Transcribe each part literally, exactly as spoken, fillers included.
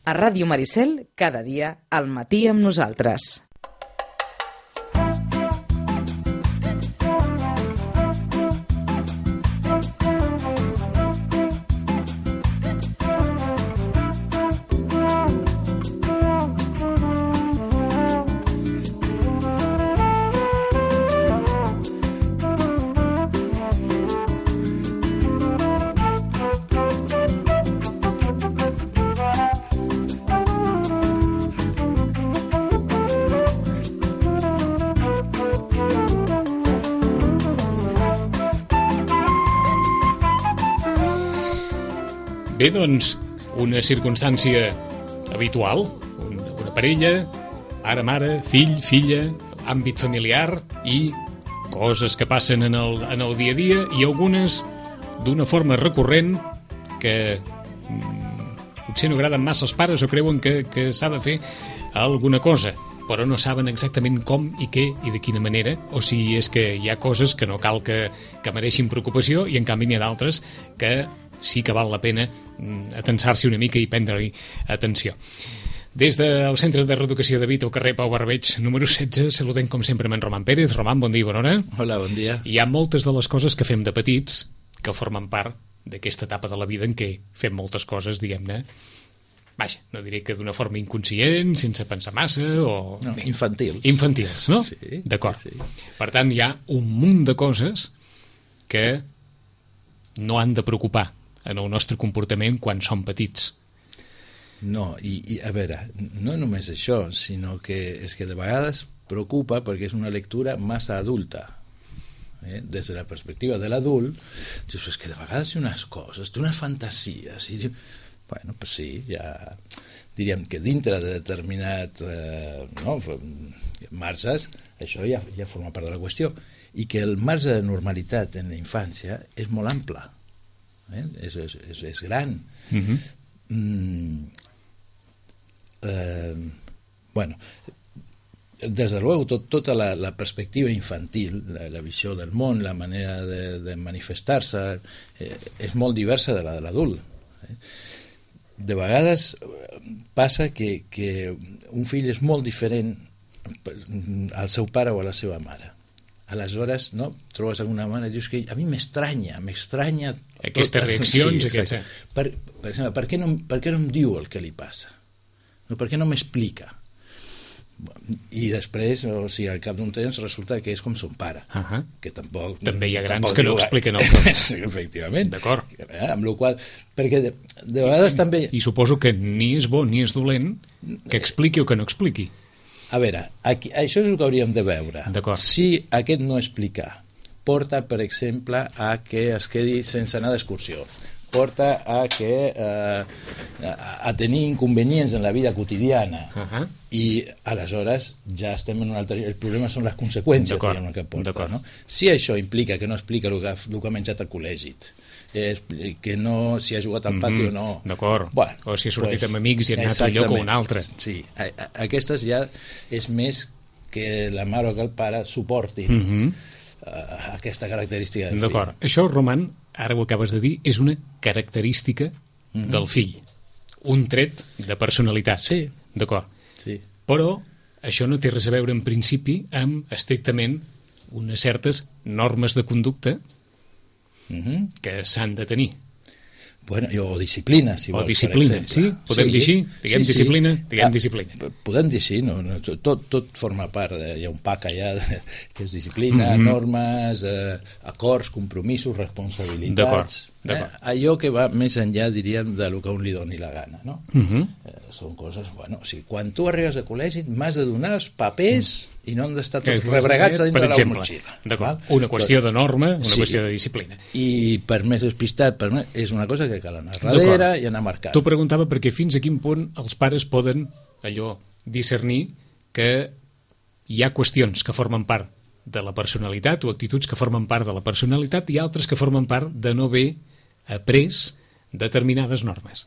A Ràdio Maricel, cada dia, al matí amb nosaltres. Bé, doncs, una circumstància habitual, una, una parella, pare, mare, fill, filla, àmbit familiar i coses que passen en el, en el dia a dia i algunes d'una forma recurrent que mm, potser no agraden massa als pares o creuen que, que s'ha de fer alguna cosa, però no saben exactament com i què i de quina manera, o si és que hi ha coses que no cal que, que mereixin preocupació i en canvi n'hi ha d'altres que sí que val la pena atensar-s'hi una mica i prendre-hi atenció. Des del Centre de Reeducació de Vic, al carrer Pau Barbeig, número setze, saludem com sempre amb en Roman Pérez. Roman, bon dia i bona hora. Hola, bon dia. Hi ha moltes de les coses que fem de petits que formen part d'aquesta etapa de la vida en què fem moltes coses, diguem-ne, vaja, no diré que d'una forma inconscient, sense pensar massa, o... No, infantils. Infantils, no? Sí. D'acord. Sí, sí. Per tant, hi ha un munt de coses que no han de preocupar en el nostre comportament quan som petits. No, i, i a veure, no només això, sinó que és que de vegades preocupa perquè és una lectura massa adulta. Eh? Des de la perspectiva de l'adult, dius, és que de vegades hi ha unes coses, té unes fantasies, i dius, bueno, pues sí, ja diríem que dintre de determinats eh, no, marges, això ja, ja forma part de la qüestió, i que el marge de normalitat en la infància és molt ample. Eh? És, és, és, és gran. Uh-huh. mm, eh, bueno, des de luego tot, tota la, la perspectiva infantil, la, la visió del món, la manera de, de manifestar-se eh, és molt diversa de la de l'adult. Eh? De vegades passa que, que un fill és molt diferent al seu pare o a la seva mare. Aleshores, no, trobes alguna mare i dius que a mi m'estranya, m'estranya aquestes tot... reaccions. Sí, aquesta... per, per exemple, per què, no, per què no em diu el que li passa? No, per què no m'explica? I després, o sigui, al cap d'un temps resulta que és com son pare, uh-huh. que tampoc... També hi ha grans tampoc que no expliquen el que... Sí, efectivament. D'acord. Eh, amb la qual perquè de, de vegades I, també... I suposo que ni és bo ni és dolent que expliqui o que no expliqui. A veure, aquí, això és el que hauríem de veure. Si aquest no explicar porta, per exemple, a que es quedi sense anar d'excursió, porta a que eh, a tenir inconvenients en la vida quotidiana, uh-huh. i aleshores ja estem en un altre... El problema són les conseqüències que porta, no? Si això implica que no explica el que ha, el que ha menjat al col·legi, eh, que no si ha jugat al pati mm-hmm. o no, d'acord, bueno, o si ha sortit pues, amb amics i ha anat a un lloc o un altre. Sí, a, a, aquestes ja és més que la mare o que el pare suportin mm-hmm. uh, aquesta característica del d'acord. fill. Això, Roman, ara ho acabes de dir, és una característica mm-hmm. del fill, un tret de personalitat. Sí. D'acord. Sí. Però això no té res a veure en principi amb estrictament unes certes normes de conducta mm-hmm. que s'han de tenir. Bueno, o disciplina, si o vols, disciplina, per exemple. sí? Podem sí, dir així? Diguem sí, disciplina? Sí. Diguem ah, disciplina. Podem dir així, no? no tot, tot forma part, de, hi ha un pack allà de, que és disciplina, mm-hmm. normes, eh, acords, compromisos, responsabilitats. D'acord, d'acord. Eh, allò que va més enllà, diríem, de lo que a un li doni la gana, no? Mm-hmm. eh, són coses, bueno, o sigui, quan tu arribes a col·legi m'has de donar els papers mm. i no han d'estar tots rebregats a dintre de la motxilla. D'acord, una qüestió de norma, una sí. qüestió de disciplina. I per més despistat, per més, és una cosa que cal anar darrere i anar marcant. T'ho preguntava perquè fins a quin punt els pares poden, allò, discernir que hi ha qüestions que formen part de la personalitat o actituds que formen part de la personalitat i altres que formen part de no haver après determinades normes.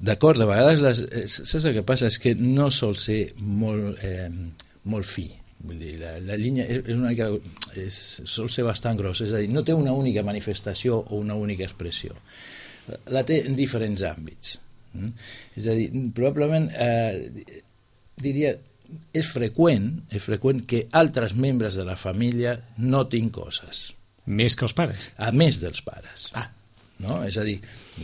D'acord, de vegades les, saps el que passa? És que no sol ser molt, eh, molt fi. Vull dir, la, la línia és, és una mica, és, sol ser bastant gros, és a dir, no té una única manifestació o una única expressió. La té en diferents àmbits. Mm? És a dir, probablement eh, diria, és freqüent, és freqüent que altres membres de la família notin coses. Més que els pares? A més dels pares. Ah. No? És a dir,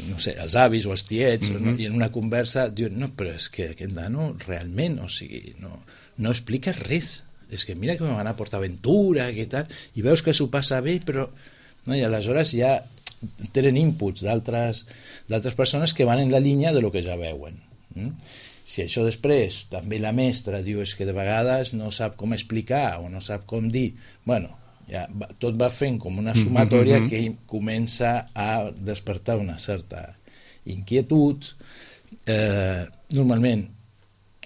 no sé, els avis o els tiets, Mm-hmm. no? I en una conversa diuen, no, però és que aquest nano realment, o sigui, no, no explica res. És que mira que me van a PortAventura, que tal, i veus que s'ho passa bé, però... No? I aleshores ja tenen inputs d'altres d'altres persones que van en la línia de lo que ja veuen. Mm? Si això després també la mestra diu és que de vegades no sap com explicar o no sap com dir, bueno, ja va, tot va fent com una sumatòria mm-hmm. que comença a despertar una certa inquietud. Eh, normalment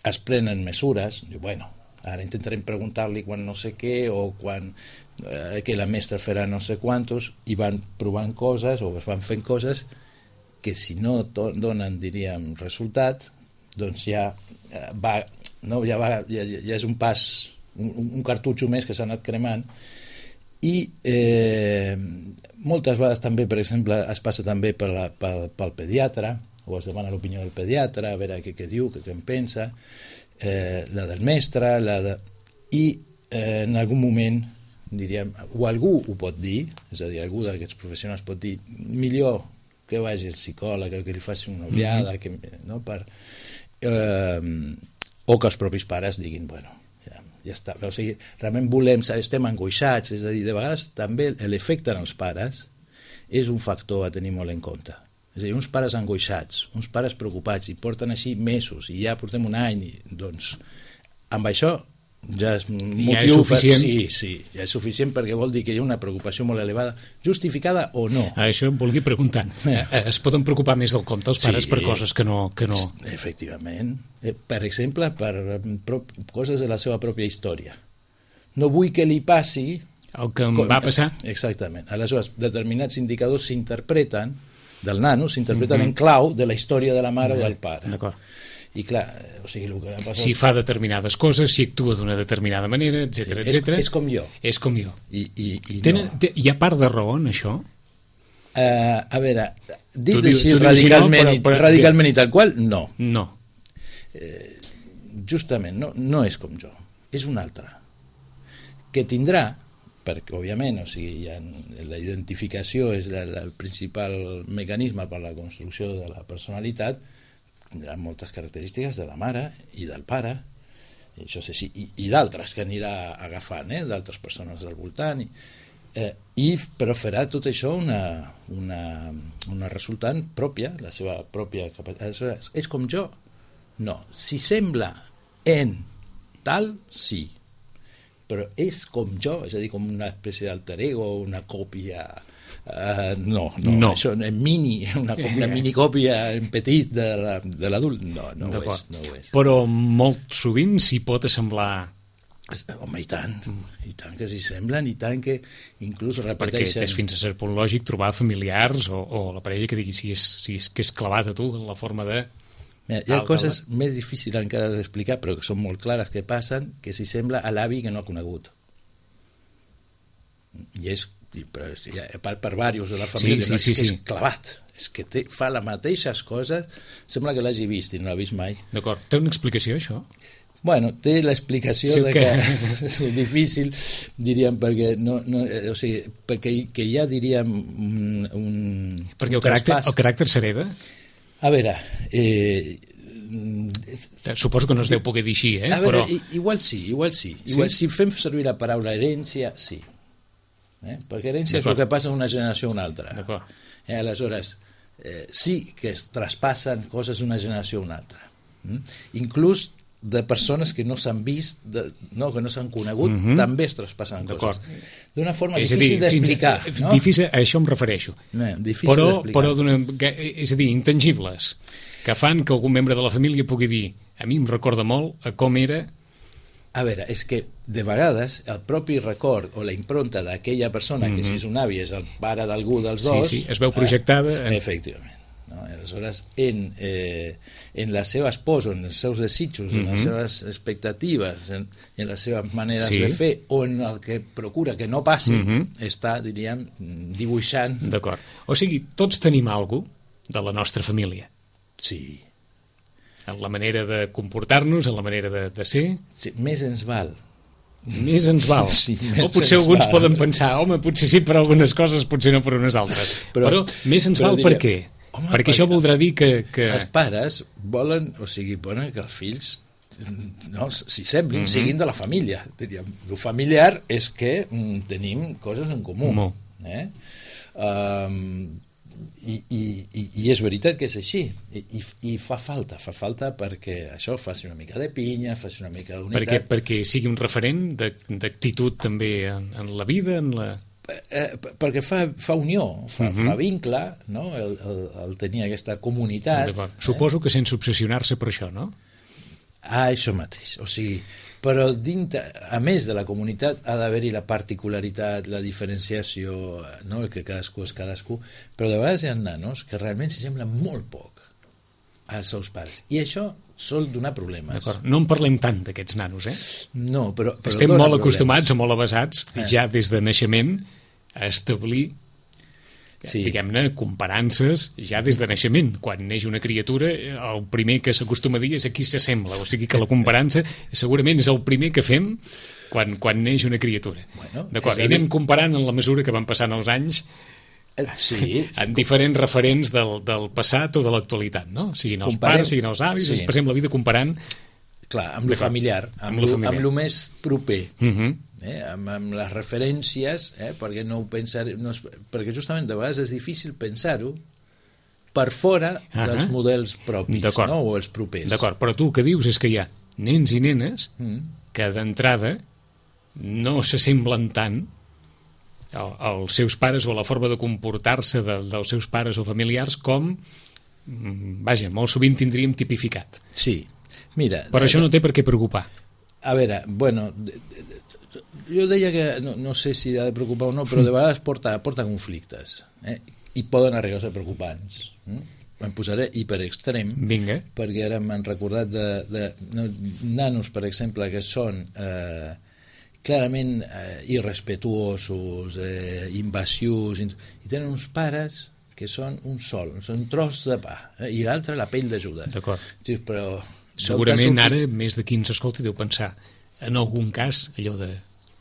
es prenen mesures, diu, bueno, ara intentarem preguntar-li quan no sé què o quan eh, que la mestra farà no sé quantos, i van provant coses o es van fent coses que si no donen, diríem, resultat, doncs ja eh, va, no, ja, va ja, ja és un pas, un, un cartutxo més que s'ha anat cremant. I eh, moltes vegades també, per exemple, es passa també per la, pel, pel pediatre, o es demana l'opinió del pediatre, a veure què, què diu, què, què en pensa, eh, la del mestre, la de... i eh, en algun moment, diríem, o algú ho pot dir, és a dir, algú d'aquests professionals pot dir, millor que vagi el psicòleg, que li faci una ullada, mm-hmm. que, no, per, eh, o que els propis pares diguin, bueno, ja, ja està. O sigui, realment volem, estem angoixats, és a dir, de vegades també l'efecte en els pares és un factor a tenir molt en compte. És a dir, uns pares angoixats, uns pares preocupats, i porten així mesos, i ja portem un any, i, doncs, amb això ja és motiu... Ja és suficient. Per... Sí, sí, ja és suficient perquè vol dir que hi ha una preocupació molt elevada, justificada o no. Això em volia preguntar. Es poden preocupar més del compte els pares sí, per coses que no... Que no... Efectivament. Per exemple, per coses de la seva pròpia història. No vull que li passi... El que em com... va passar. Exactament. Aleshores, determinats indicadors s'interpreten del nano, s'interpreten mm-hmm. en clau de la història de la mare mm-hmm. o del pare. D'acord. I clar, o sigui, el que ha passat... Si fa determinades coses, si actua d'una determinada manera, etcètera, sí, etcètera. És, és com jo. És com jo. I, i, i Tenen, no. Té, hi ha part de raó en això? Uh, a veure, dit tu així diu, radicalment, no, però, però, radicalment i tal qual, no. No. Eh, justament, no, no és com jo. És un altre. Que tindrà, perquè, òbviament, o sigui, ja, la identificació és la, la, el principal mecanisme per a la construcció de la personalitat, tindrà moltes característiques de la mare i del pare, i, això sí, i, i d'altres que anirà agafant, eh, d'altres persones del voltant, i, eh, i, però farà tot això una, una, una resultant pròpia, la seva pròpia capacitat. És com jo? No. Si sembla en tal, sí. Però és com jo, és a dir, com una espècie d'alter ego, una còpia... Uh, no, no, no, això és mini, una, una minicòpia en petit de l'adult, no, no ho és, no ho és. Però molt sovint s'hi pot assemblar... Home, i tant, i tant que s'hi semblen, i tant que inclús repeteixen... Perquè és fins a cert punt lògic trobar familiars o, o la parella que digui si és, si és, que és clavat a tu en la forma de... Mira, hi ha coses més difícils encara d'explicar, però que són molt clares que passen, que s'hi sembla a l'avi que no ha conegut. I és per, per, per diversos de la família, sí, sí, sí, sí. És clavat, és que té, fa les mateixes coses, sembla que l'hagi vist i no l'ha vist mai. D'acord, té una explicació això? Bueno, té l'explicació sí, de que, que és difícil, diríem, perquè no, no, o sigui, perquè que hi ha, diríem, un, un perquè un el caràcter, el caràcter s'hereda? A veure, eh, suposo que no es deu poder dir així, eh? A veure, però... igual sí, igual sí. Igual, sí? Si fem servir la paraula herència, sí. Eh? Perquè herència és el que passa d'una generació a una altra. Eh? Aleshores, eh, sí que es traspassen coses d'una generació a una altra. Mm? Inclús de persones que no s'han vist, de, no, que no s'han conegut, mm-hmm. també es traspassen coses. D'una forma és difícil d'explicar. No? Difícil, a això em refereixo. No, difícil però, d'explicar. Però d'una, és a dir, intangibles, que fan que algun membre de la família pugui dir a mi em recorda molt a com era... A veure, és que de vegades el propi record o la impronta d'aquella persona, mm-hmm. que si és un avi és el pare d'algú dels dos... Sí, sí, es veu projectada... Eh, en... Efectivament. No? Aleshores, en, eh, en les seves pors, en els seus desitjos, mm-hmm. en les seves expectatives, en, en les seves maneres sí. de fer, o en el que procura que no passi, mm-hmm. està, diríem, dibuixant... D'acord. O sigui, tots tenim alguna cosa de la nostra família. Sí, en la manera de comportar-nos, en la manera de, de ser. Sí, més ens val. Més ens val. Sí, o potser alguns val. Poden pensar, home, potser sí per algunes coses, potser no per unes altres. Però, però més ens però val diria, per què? Home, perquè, perquè això voldrà dir que, que... Els pares volen, o sigui, volen que els fills, no, si semblin, mm-hmm. siguin de la família. Diríem, el familiar és que mm, tenim coses en comú. Mo. Eh? Um, i, i, i, i és veritat que és així. I, i, i fa falta, fa falta perquè això faci una mica de pinya, faci una mica d'unitat. Perquè, perquè sigui un referent d'actitud també en, en la vida, en la... Eh, perquè fa, fa unió, fa, uh-huh. fa vincle, no? el, el, el tenir aquesta comunitat. Eh? Suposo que sense obsessionar-se per això, no? Ah, això mateix. O sigui, però dintre, a més de la comunitat ha d'haver-hi la particularitat, la diferenciació, no? El que cadascú és cadascú, però de vegades hi ha nanos que realment s'hi semblen molt poc als seus pares. I això sol donar problemes. D'acord. No en parlem tant d'aquests nanos, eh? No, però... però estem molt problemes. acostumats o molt avasats eh. ja des de naixement a establir, sí. diguem-ne, comparances ja des de naixement. Quan neix una criatura, el primer que s'acostuma a dir és a qui s'assembla, o sigui que la comparança segurament és el primer que fem quan, quan neix una criatura. Bueno, d'acord, i anem dir... comparant en la mesura que van passant els anys sí, en diferents referents del, del passat o de l'actualitat, no? Siguin els Comparem, pares, siguin els avis, sí. ens passem la vida comparant... Clar, amb lo familiar, amb, amb, lo, familiar. amb lo més proper, uh-huh. eh? amb, amb les referències, eh? perquè no ho pensar, no, perquè justament de vegades és difícil pensar-ho per fora uh-huh. dels models propis, no? O els propers. D'acord, però tu el que dius és que hi ha nens i nenes uh-huh. que d'entrada no s'assemblen tant als seus pares o a la forma de comportar-se de, dels seus pares o familiars com, vaja, molt sovint tindríem tipificat. Sí, mira... Però això no té per què preocupar. A veure, bueno, jo deia que, no, no sé si ha de preocupar o no, però de vegades porta, porta conflictes, eh? I poden arribar a ser preocupants. Eh? Em posaré hiperextrem, Vinga. perquè ara m'han recordat de, de no, nanos, per exemple, que són... Eh, clarament eh, irrespetuosos, eh, invasius, i tenen uns pares que són un sol, són un tros de pa, eh, i l'altre la pell de Judes. D'acord. Sí, però segurament ara més de qui ens escolti deu pensar en algun cas allò de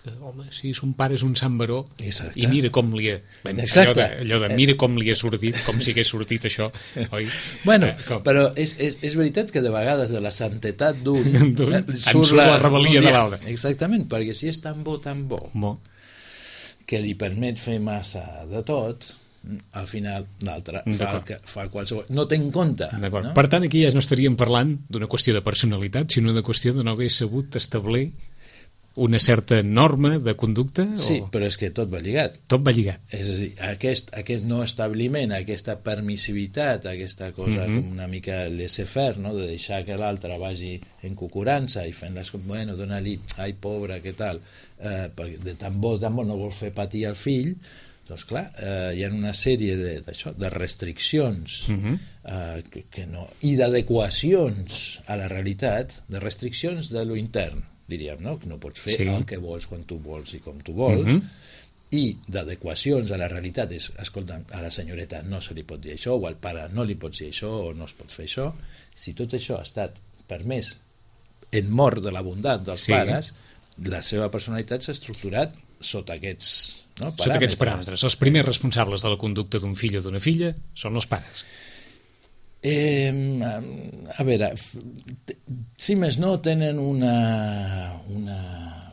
que, home, sí, son pare és un Sant Baró. Exacte. I mira com li ha... Ben, allò, de, allò de mira com li ha sortit, com si hagués sortit això, oi? Bueno, eh, però és, és, és veritat que de vegades de la santetat d'un eh, surt la, la rebel·lia de l'altre. Exactament, perquè si és tan bo, tan bo, bo, que li permet fer massa de tot, al final l'altre fa, el que, fa qualsevol... No té en compte. No? Per tant, aquí ja no estaríem parlant d'una qüestió de personalitat, sinó de qüestió de no haver sabut establir una certa norma de conducta? Sí, o... però és que tot va lligat. Tot va lligat. És a dir, aquest, aquest no establiment, aquesta permissivitat, aquesta cosa mm-hmm. com una mica laissez-faire, no? De deixar que l'altre vagi en cucurança i fent les coses, bueno, dona-li, ai, pobra, què tal, eh, perquè de tan bo, tan bo no vol fer patir al fill, doncs clar, eh, hi ha una sèrie de, d'això, de restriccions mm-hmm. eh, que, que no, i d'adequacions a la realitat, de restriccions de lo intern, diríem, no? Que no pots fer sí. el que vols quan tu vols i com tu vols, mm-hmm. i d'adequacions a la realitat és, escolta, a la senyoreta no se li pot dir això, o al pare no li pots dir això, o no es pot fer això. Si tot això ha estat permès en mort de la bondat dels sí. pares, la seva personalitat s'ha estructurat sota aquests, no, paràmetres. Sota aquests paràmetres. Els primers responsables de la conducta d'un fill o d'una filla són els pares. Eh, a veure, si més no, tenen una, una,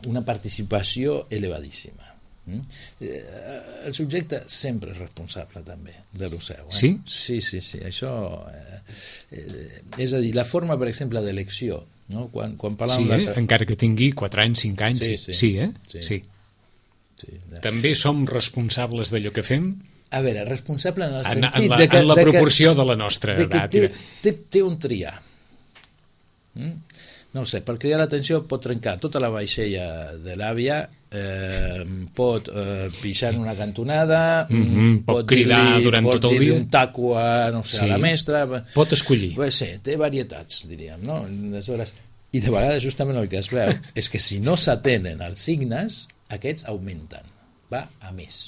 una participació elevadíssima. Eh, el subjecte sempre és responsable també de lo seu. Eh? Sí? Sí, sí, sí. Això, eh, eh, és a dir, la forma, per exemple, d'elecció, no? Quan, quan sí, eh? encara que tingui quatre anys, cinc anys, sí, sí, sí, eh? sí. sí. sí. També som responsables d'allò que fem? A veure, responsable en el en, sentit en la, de que... En la de proporció que, de la nostra de que edat. Té, té, té un triar. Mm? No sé, per cridar l'atenció pot trencar tota la vaixella de l'àvia, eh, pot eh, pixar en una cantonada, mm-hmm, pot, pot cridar durant pot tot el dia, un taco a, no sé, sí. a la mestra. Pot escollir. Pues sí, té varietats, diríem, no? Aleshores, i de vegades justament el que es veu és que si no s'atenen els signes, aquests augmenten, va a més.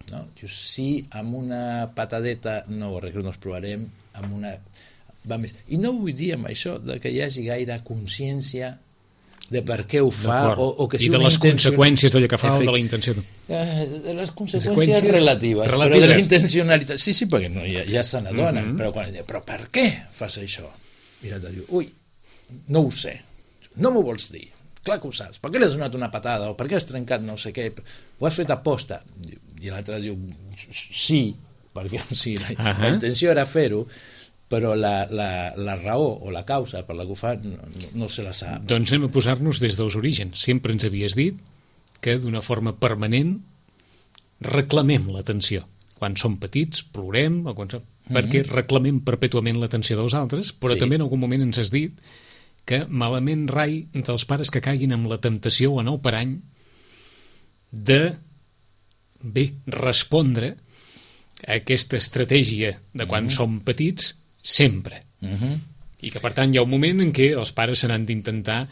No? Si amb una patadeta no ho arreglem, no els provarem, amb una va més. I no vull dir amb això de que hi hagi gaire consciència de per què ho fa o, o que si i de les intenció... conseqüències d'allò que fa Efect... o de la intenció eh, de les conseqüències relatives, relatives però de la intencionalitat sí, sí, perquè no, ja, ja se n'adonen mm -hmm. però, quan, però per què fas això? Mira, te diu, ui, no ho sé, no m'ho vols dir, clar que ho saps, per què li has donat una patada o per què has trencat no sé què, ho has fet a posta, i l'altre diu sí, perquè sí, la, uh -huh. la intenció era fer-ho, però la, la, la raó o la causa per la que ho fa no, no, no se la sap. Doncs anem a posar-nos des dels orígens. Sempre ens havies dit que d'una forma permanent reclamem l'atenció. Quan som petits plorem, o quan som... mm-hmm. perquè reclamem perpètuament l'atenció dels altres, però sí. també en algun moment ens has dit que malament rai dels pares que caiguin amb la temptació o en el parany de, bé, respondre a aquesta estratègia de quan mm-hmm. som petits sempre. Uh-huh. I que, per tant, hi ha un moment en què els pares se n'han d'intentar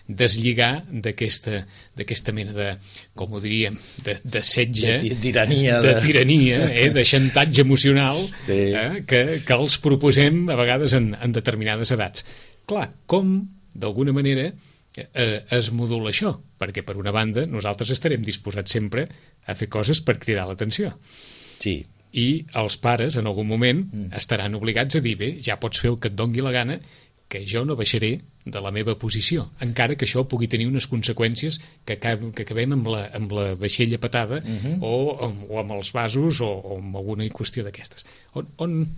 deslligar d'aquesta d'aquesta mena de, com ho diríem, de, de setge, de tirania, de, de, tirania eh, de xantatge emocional sí. eh, que, que els proposem a vegades en, en determinades edats. Clar, com, d'alguna manera, eh, es modula això? Perquè, per una banda, nosaltres estarem disposats sempre a fer coses per cridar l'atenció. Sí. I els pares, en algun moment, mm. estaran obligats a dir, bé, ja pots fer el que et dongui la gana, que jo no baixaré de la meva posició, encara que això pugui tenir unes conseqüències que, acab que acabem amb la, amb la vaixella patada mm -hmm. o, o amb els vasos o, o amb alguna qüestió d'aquestes. On, on...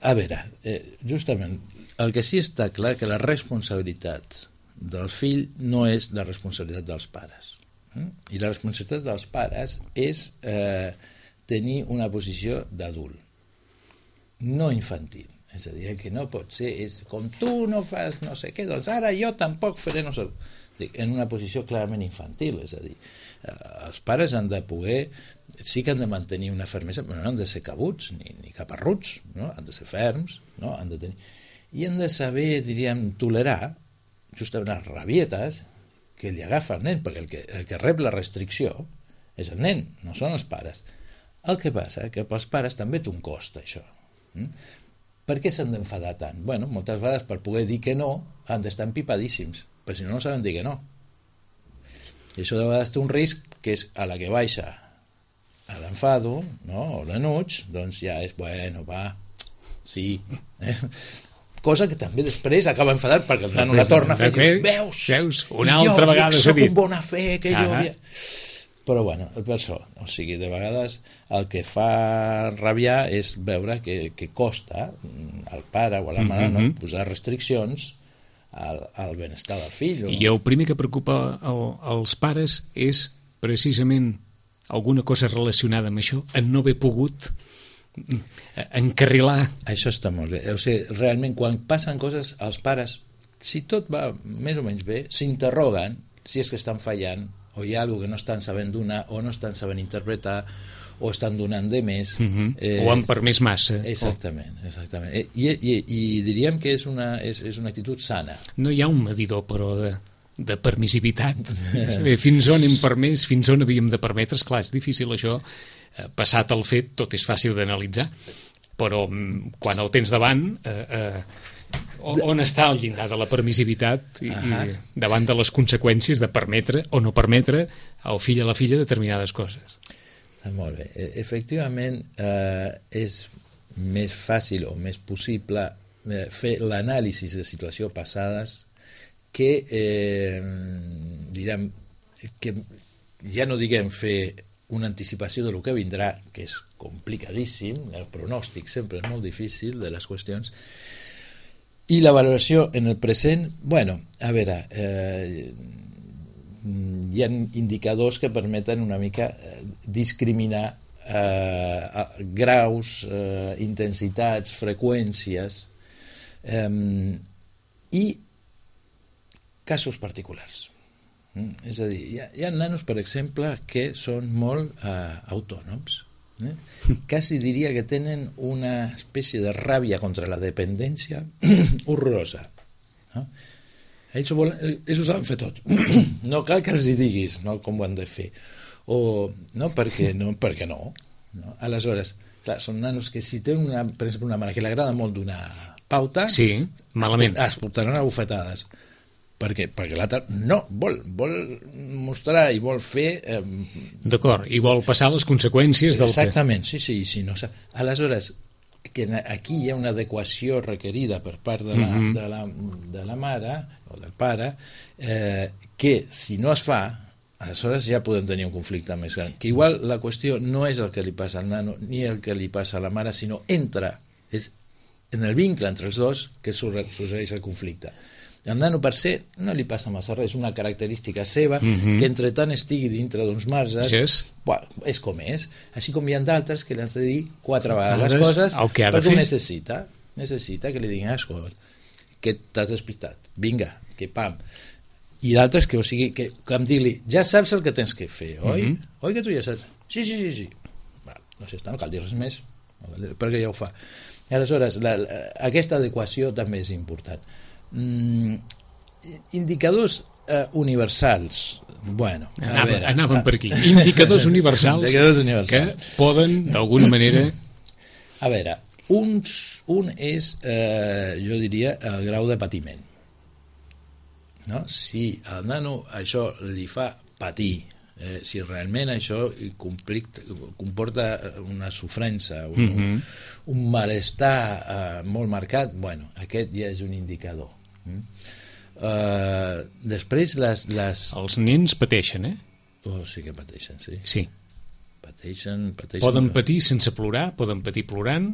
A veure, eh, justament, el que sí està clar que la responsabilitat del fill no és la responsabilitat dels pares. Mm? I la responsabilitat dels pares és... Eh, tenir una posició d'adult, no infantil. És a dir, que no pot ser, és com tu no fas no sé què, doncs ara jo tampoc faré no sé... En una posició clarament infantil, és a dir, els pares han de poder, sí que han de mantenir una fermesa, però no han de ser cabuts, ni, ni caparruts, no? Han de ser ferms, no? Han de tenir... I han de saber, diríem, tolerar justament les rabietes que li agafa el nen, perquè el que, el que rep la restricció és el nen, no són els pares. El que passa que pels pares també té un cost, això. Mm? Per què s'han d'enfadar tant? Bueno, moltes vegades per poder dir que no han d'estar empipadíssims, però si no, no saben dir que no. I això de vegades té un risc, que és a la que baixa a l'enfado, no? O l'enuig, doncs ja és, bueno, va, sí. Eh? Cosa que també després acaba enfadant perquè el nano la torna a fer i dius, veus? Veus? Una altra vegada s'ha dit. Jo soc un bona fe, que jo havia... Però bueno, per això, o sigui, de vegades el que fa rabiar és veure que, que costa al pare o a la mare mm-hmm. no, posar restriccions al, al benestar del fill. O... I el primer que preocupa el, els pares és precisament alguna cosa relacionada amb això, en no haver pogut encarrilar. Això està molt bé. O sigui, realment, quan passen coses, els pares, si tot va més o menys bé, s'interroguen si és que estan fallant o hi ha alguna que no estan sabent donar o no estan sabent interpretar o estan donant de més uh-huh. eh, o han permès massa exactament, exactament. I, i, i diríem que és una, és, és una actitud sana. No hi ha un medidor però de, de permissivitat fins on hem permès, fins on havíem de permetre. Esclar, és difícil això, passat el fet tot és fàcil d'analitzar, però quan el tens davant eh, eh, on està el llindar de la permissivitat i, uh-huh. i davant de les conseqüències de permetre o no permetre al fill a la filla determinades coses. Ah, molt bé. Efectivament, eh, és més fàcil o més possible eh, fer l'anàlisi de situacions passades que, eh, direm, que ja no diguem fer una anticipació de lo que vindrà, que és complicadíssim, el pronòstic sempre és molt difícil de les qüestions. I la valoració en el present, bueno, a veure, eh, hi ha indicadors que permeten una mica discriminar eh, graus, eh, intensitats, freqüències eh, i casos particulars. Mm? És a dir, hi ha, hi ha nanos, per exemple, que són molt eh, autònoms. Eh? Quasi diria que tenen una espècie de ràbia contra la dependència horrorosa, no? Ells ho, volen, ells ho saben fer tot, no cal que els hi diguis, no, com ho han de fer o, no, perquè no, perquè no, no? Aleshores, clar, són nanos que si tenen, una, per exemple, una mare que li agrada molt d'una pauta, sí, malament. Es, es portaran a bufetades. Per què? Perquè l'altre no, vol, vol mostrar i vol fer... Eh, D'acord, i vol passar les conseqüències del exactament, que... sí, sí, sí. No, aleshores, que aquí hi ha una adequació requerida per part de la, mm-hmm. de la, de la mare o del pare, eh, que si no es fa, aleshores ja podem tenir un conflicte més gran. Que igual la qüestió no és el que li passa al nano ni el que li passa a la mare, sinó entra, és en el vincle entre els dos que sorgeix el conflicte. El nano per ser no li passa massa res, és una característica seva, mm-hmm. que entre tant estigui dintre d'uns marges, yes. bueno, és com és. Així com hi ha d'altres que li has de dir quatre vegades les coses perquè ho necessita, necessita que li diguin, escolta, que t'has despistat, vinga, que pam. I d'altres que, o sigui, que, que em digui, ja saps el que tens que fer, oi? Mm-hmm. Oi que tu ja saps? Sí, sí, sí, sí. Bueno, no sé, no cal dir res més, perquè ja ho fa. I aleshores, la, la, aquesta adequació també és important. Mm, indicadors eh, universals, bueno, a Anava, veure, anàvem per aquí. Indicadors universals, indicadors universals que poden, d'alguna manera... A veure, uns, un és, eh, jo diria, el grau de patiment. No? Si al nano això li fa patir, eh, si realment això comporta una sofrença, un, mm-hmm. un malestar eh, molt marcat, bueno, aquest ja és un indicador. Mm? Uh, després les, les... Els nens pateixen, eh? Oh, sí que pateixen, sí. Sí. Pateixen, pateixen... Poden patir sense plorar, poden patir plorant,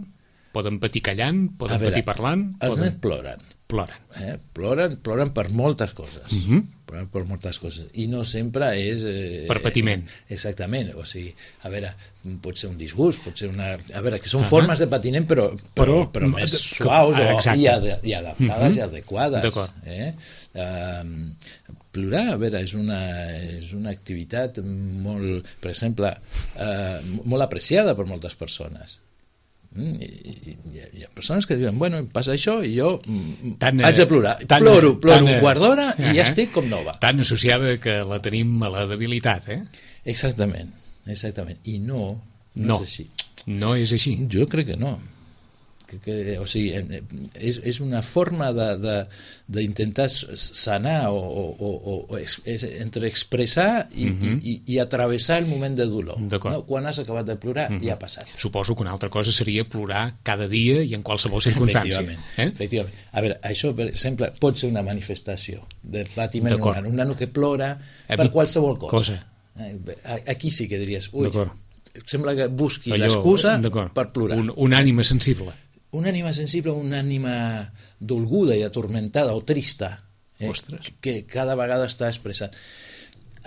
poden patir callant, poden veure, patir parlant... Els poden... nens ploren. Ploren. Eh? Ploren, ploren per moltes coses. Mm-hmm. Ploren per moltes coses. I no sempre és... Eh, per patiment. Eh, exactament. O sigui, a veure, pot ser un disgust, pot ser una... A veure, que són uh-huh. formes de patiment, però, però, però, però més suaus o, i, ad, i adaptades mm-hmm. i adequades. D'acord. Eh? Uh, plorar, a veure, és una, és una activitat molt, per exemple, uh, molt apreciada per moltes persones. Mm, i, i, hi ha persones que diuen, bueno, em passa això i jo mm, tan, haig de plorar, tan, ploro, ploro tan, un quart d'hora i ja estic com nova. Tan associada que la tenim a la debilitat, eh? Exactament, exactament. I no, no, no és així. No és així. Jo crec que no. Que, que, o sigui, és, és una forma d'intentar sanar o, o, o, o ex, entre expressar i, mm-hmm. i, i, i atravessar el moment de dolor. No? Quan has acabat de plorar, mm-hmm. ja ha passat. Suposo que una altra cosa seria plorar cada dia i en qualsevol circumstància. Efectivament, eh? efectivament. A veure, això, per exemple, pot ser una manifestació de patiment en un nano. Un nano que plora per eh, qualsevol cosa. cosa. Aquí sí que diries, ui, sembla que busqui l'excusa per plorar. Un, un ànima sensible. Una ànima sensible, una ànima dolguda i atormentada o trista, eh, que cada vegada està expressant.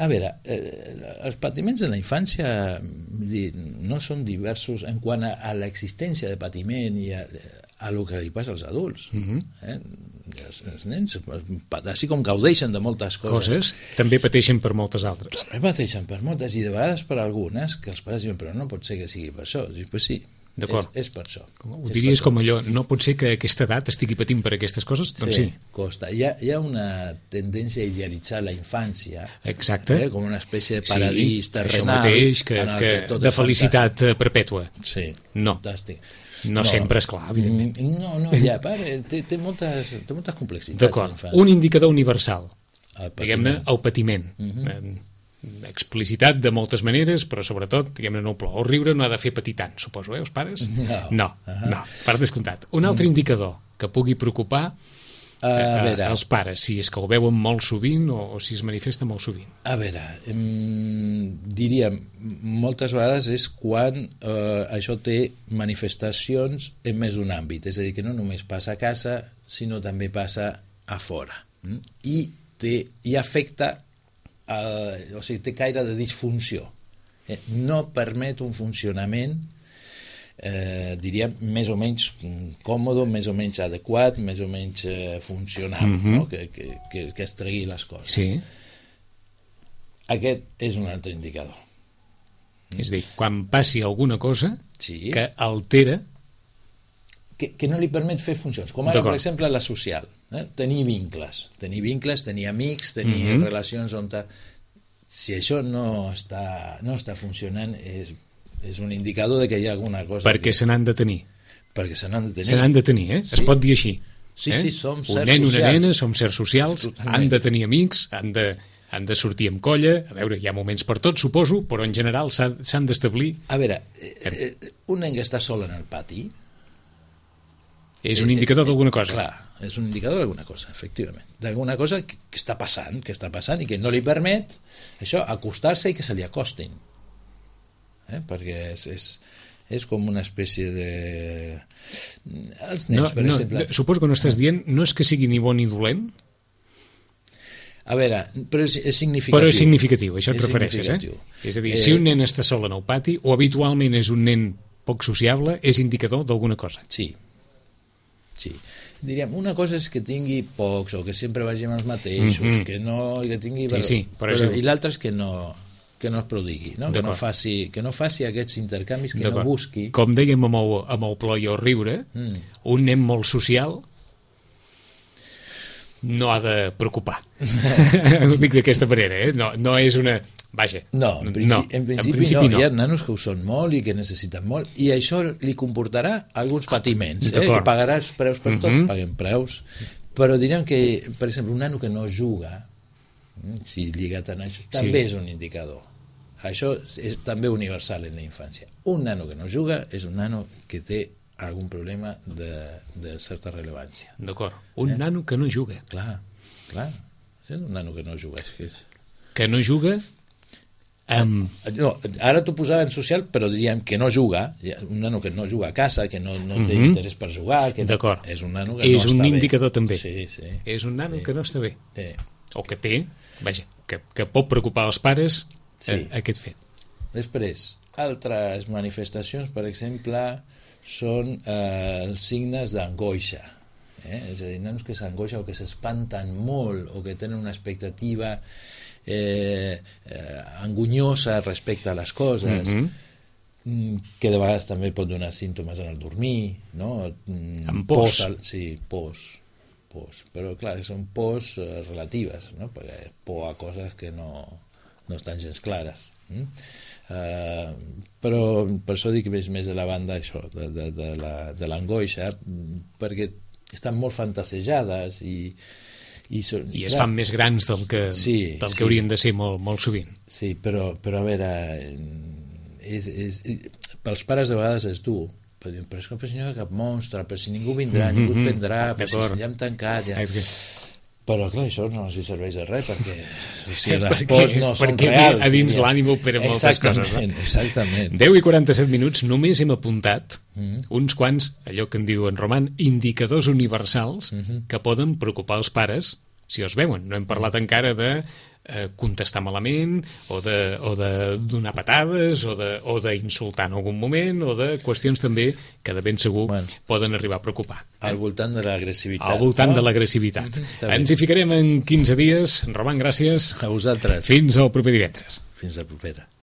A veure, eh, els patiments de la infància no són diversos en quant a, a l'existència de patiment i a, a lo que li passa als adults. Mm-hmm. eh? Els, els nens, així com gaudeixen de moltes coses, coses, també pateixen per moltes altres. També pateixen per moltes i de vegades per algunes que els pares diuen, però no pot ser que sigui per això. Dius, pues sí. És, és per això. Ho diries com allò, no pot ser que a aquesta edat estigui patint per aquestes coses? Doncs sí. Sí, costa. Hi ha, hi ha una tendència a idealitzar la infància. Exacte. Eh, com una espècie de paradís sí, terrenal. Això mateix, que, que, que de felicitat fantàstic. Perpètua. Sí, no. Fantàstic. No, no sempre, és clar, evidentment. No, no, ja, pare, té, té, moltes, té moltes complexitats. D'acord. Un indicador universal. El diguem-ne, el patiment. Uh-huh. Explicitat de moltes maneres, però sobretot, diguem-ne, no plor. El riure no ha de fer patir tant, suposo, eh, els pares? No. No, uh-huh. no, per descomptat. Un altre indicador que pugui preocupar uh, a veure, els pares, si és que ho veuen molt sovint o, o si es manifesta molt sovint. A veure, em, diríem, moltes vegades és quan eh, això té manifestacions en més d'un àmbit, és a dir, que no només passa a casa, sinó també passa a fora. Mm? I, té, i afecta Uh, o sigui, té caire de disfunció. Eh, no permet un funcionament, eh, diríem, més o menys còmode, més o menys adequat, més o menys eh, funcional, mm-hmm. no? que, que, que, que es tregui les coses. Sí. Aquest és un altre indicador. Mm. És a dir, quan passi alguna cosa sí. que altera... Que, que no li permet fer funcions, com ara, per exemple, la social. Eh? Tenir vincles, tenir vincles, tenir amics, tenir mm-hmm. relacions on... Ta... Si això no està, no està funcionant, és és un indicador de que hi ha alguna cosa... Perquè que... se n'han de tenir. Perquè se n'han de tenir. Se n'han de tenir, eh? Sí. Es pot dir així. Sí, eh? sí, som un certs nen, socials. una nena, som certs socials, Totalment. han de tenir amics, han de, han de sortir amb colla. A veure, hi ha moments per tot, suposo, però en general s'han d'establir... A veure, eh, eh, un nen que està sol en el pati... És un indicador d'alguna cosa. Clar, és un indicador d'alguna cosa, efectivament. D'alguna cosa que, que està passant, que està passant i que no li permet, això, acostar-se i que se li acostin. Eh? Perquè és, és, és com una espècie de... Els nens, no, per no, exemple... Suposo que no estàs dient, no és que sigui ni bo ni dolent? A veure, però és, és significatiu. Però és significatiu, això et és refereixes, eh? És a dir, eh, si un nen està sol en el pati, o habitualment és un nen poc sociable, és indicador d'alguna cosa. Sí, sí. Diríem, una cosa és que tingui pocs o que sempre vagi amb els mateixos, mm -hmm. que no que tingui... Sí, sí, però, això... I l'altre és que no, que no es prodigui, no? Que, no faci, que no faci aquests intercanvis, que no busqui... Com dèiem amb el, amb el plor i el riure, mm. un nen molt social no ha de preocupar. Ho dic d'aquesta manera, eh? No, no és una... Vaja, no, en principi no. En principi, en principi no. no. Hi ha nanos que ho són molt i que necessiten molt, i això li comportarà alguns patiments, eh? Que pagaràs preus per tot, mm -hmm. paguem preus, però diríem que, per exemple, un nano que no juga, si lligat a això, també sí. És un indicador. Això és també universal en la infància. Un nano que no juga és un nano que té algun problema de, de certa rellevància. D'acord, un eh? nano que no juga. Clar, clar, és un nano que no juga. És que, és... que no juga... Um... No, ara t'ho posava en social, però diríem que no juga, un nano que no juga a casa, que no, no té uh -huh. interès per jugar, que d'acord, és un nano que és no un està indicador bé. també, sí, sí. És un nano sí. que no està bé, sí. O que té, vaja, que, que pot preocupar els pares sí. eh, aquest fet. Després, altres manifestacions, per exemple, són eh, els signes d'angoixa, eh? És a dir, nanos que s'angoixen o que s'espanten molt o que tenen una expectativa Eh, eh, angullosa respecte a les coses, mm-hmm. que de vegades també pot donar símptomes en el dormir, no? Amb pors. Al, sí, pors, pors. Però clar, són pors eh, relatives, no? Perquè por a coses que no, no estan gens clares. Mm? Uh, però per això dic que és més de la banda això, de, de, de, la, de l'angoixa, perquè estan molt fantasejades i I, són, I es clar, fan més grans del que, sí, del que sí. haurien de ser molt, molt sovint. Sí, però, però a veure, és, és, pels pares de vegades és dur, però, però és que però si no hi ha cap monstre, però si ningú vindrà, mm -hmm. ningú et prendrà, però si ja hem tancat... Ja... Però clar, això no els serveix de res, perquè o sigui, les pors no són reals. Perquè a dins l'ànim operen moltes coses. No? Exactament. deu i quaranta-set minuts, només hem apuntat mm. uns quants, allò que en diu en Roman, indicadors universals mm -hmm. que poden preocupar els pares si els veuen. No hem parlat encara de eh, contestar malament, o de, o de donar patades, o de, o d'insultar en algun moment, o de qüestions també que de ben segur bueno, poden arribar a preocupar. Al voltant de l'agressivitat. Al voltant no? de l'agressivitat. Mm-hmm, Ens hi ficarem en quinze dies. Roman, gràcies. A vosaltres. Fins al proper divendres. Fins la propera.